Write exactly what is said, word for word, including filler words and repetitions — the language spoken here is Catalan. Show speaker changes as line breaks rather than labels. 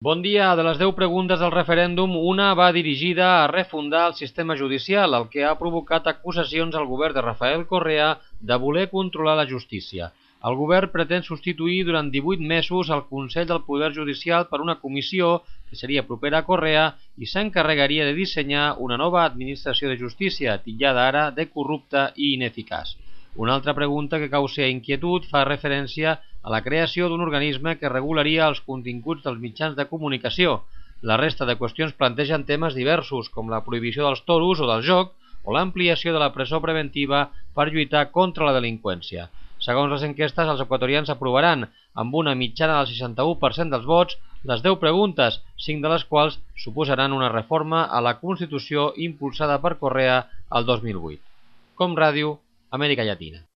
Bon dia. De les deu preguntes del referèndum, una va dirigida a refundar el sistema judicial, el que ha provocat acusacions al govern de Rafael Correa de voler controlar la justícia. El govern pretén substituir durant divuit mesos el Consell del Poder Judicial per una comissió que seria propera a Correa i s'encarregaria de dissenyar una nova administració de justícia, titllada ara de corrupta i ineficaç. Una altra pregunta que causa inquietud fa referència a la creació d'un organisme que regularia els continguts dels mitjans de comunicació. La resta de qüestions plantegen temes diversos, com la prohibició dels toros o del joc, o l'ampliació de la presó preventiva per lluitar contra la delinqüència. Segons les enquestes, els equatorians aprovaran, amb una mitjana del seixanta-u per cent dels vots, les deu preguntes, cinc de les quals suposaran una reforma a la Constitució impulsada per Correa el dos mil vuit. Com Ràdio, Amèrica Llatina.